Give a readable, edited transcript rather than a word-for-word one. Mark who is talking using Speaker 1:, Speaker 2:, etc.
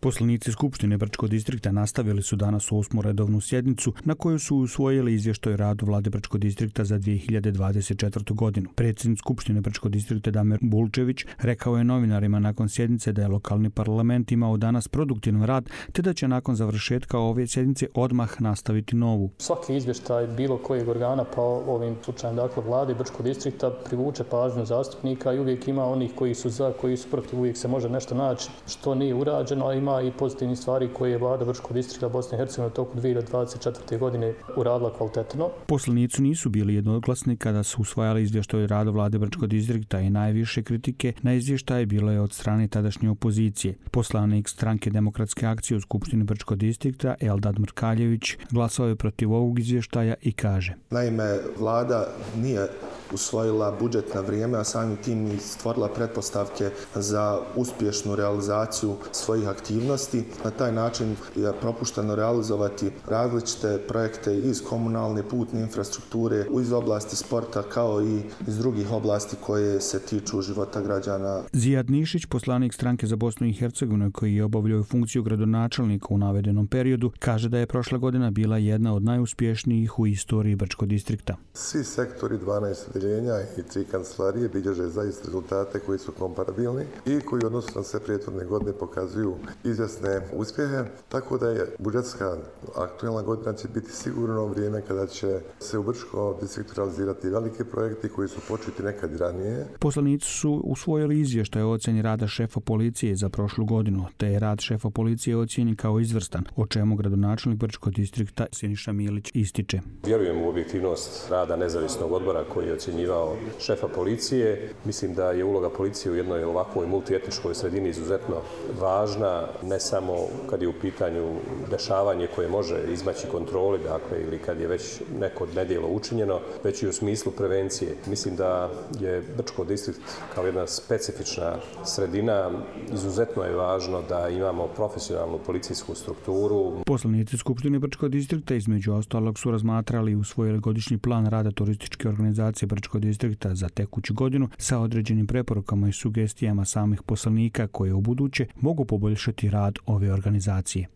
Speaker 1: Poslanici Skupštine Brčkog distrikta nastavili su danas 8. redovnu sjednicu na kojoj su usvojili izvještaj o radu vlade Brčkog distrikta za 2024. godinu. Predsjednik Skupštine Brčkog distrikta Damir Bulčević rekao je novinarima nakon sjednice da je lokalni parlament imao danas produktivan rad te da će nakon završetka ove sjednice odmah nastaviti novu.
Speaker 2: Svaki izvještaj bilo kojeg organa, pa ovim slučajem dakle vlade Brčkog distrikta, privuče pažnju zastupnika i uvijek ima onih koji su za, koji su protiv, uvijek se može nešto naći što nije urađeno, a ima i pozitivnih stvari koje je vlada Brčkog distrikta Bosne i Hercegovine toku 2024. godine uradila kvalitetno.
Speaker 1: Poslanici nisu bili jednoglasni kada su usvajali izvještaj o radu vlade Brčkog distrikta i najviše kritike na izvještaj bilo je od strane tadašnje opozicije. Poslanik Stranke demokratske akcije u Skupštini Brčkog distrikta Eldad Mrkaljević glasao je protiv ovog izvještaja i kaže:
Speaker 3: Naime, vlada nije usvojila budžet na vrijeme, a samim tim i stvorila pretpostavke za uspješnu realizaciju svojih aktivnosti. Na taj način je propušteno realizovati različite projekte iz komunalne putne infrastrukture, iz oblasti sporta kao i iz drugih oblasti koje se tiču života građana.
Speaker 1: Zijad Nišić, poslanik Stranke za Bosnu i Hercegovinu koji je obavljao funkciju gradonačelnika u navedenom periodu, kaže da je prošla godina bila jedna od najuspješnijih u istoriji Brčkog distrikta.
Speaker 4: Svi sektori 12 odeljenja i 3 kancelarije bilježe zaista rezultate koji su komparabilni i koji odnosno na sve prethodne godine pokazuju izvjesne uspjehe, tako da je budžetska aktualna godina će biti sigurno vrijeme kada će se u Brčkom distriktu realizirati velike projekti koji su početi nekad ranije.
Speaker 1: Poslanici su usvojili izvještaj o ocjeni rada šefa policije za prošlu godinu, te je rad šefa policije ocijenjen kao izvrstan, o čemu gradonačelnik Brčkog distrikta Siniša Milić ističe.
Speaker 5: Vjerujem u objektivnost rada nezavisnog odbora koji je ocjenjivao šefa policije. Mislim da je uloga policije u jednoj ovakvoj multietničkoj sredini izuzetno važna, ne samo kad je u pitanju dešavanje koje može izmaći kontroli, dakle, ili kad je već neko nedjelo učinjeno, već i u smislu prevencije. Mislim da je Brčko distrikt kao jedna specifična sredina, izuzetno je važno da imamo profesionalnu policijsku strukturu.
Speaker 1: Poslanici Skupštine Brčkog distrikta između ostalog su razmatrali i usvojili godišnji plan rada turističke organizacije Brčkog distrikta za tekuću godinu sa određenim preporukama i sugestijama samih poslanika koje u buduće mogu poboljšati rad ove organizacije.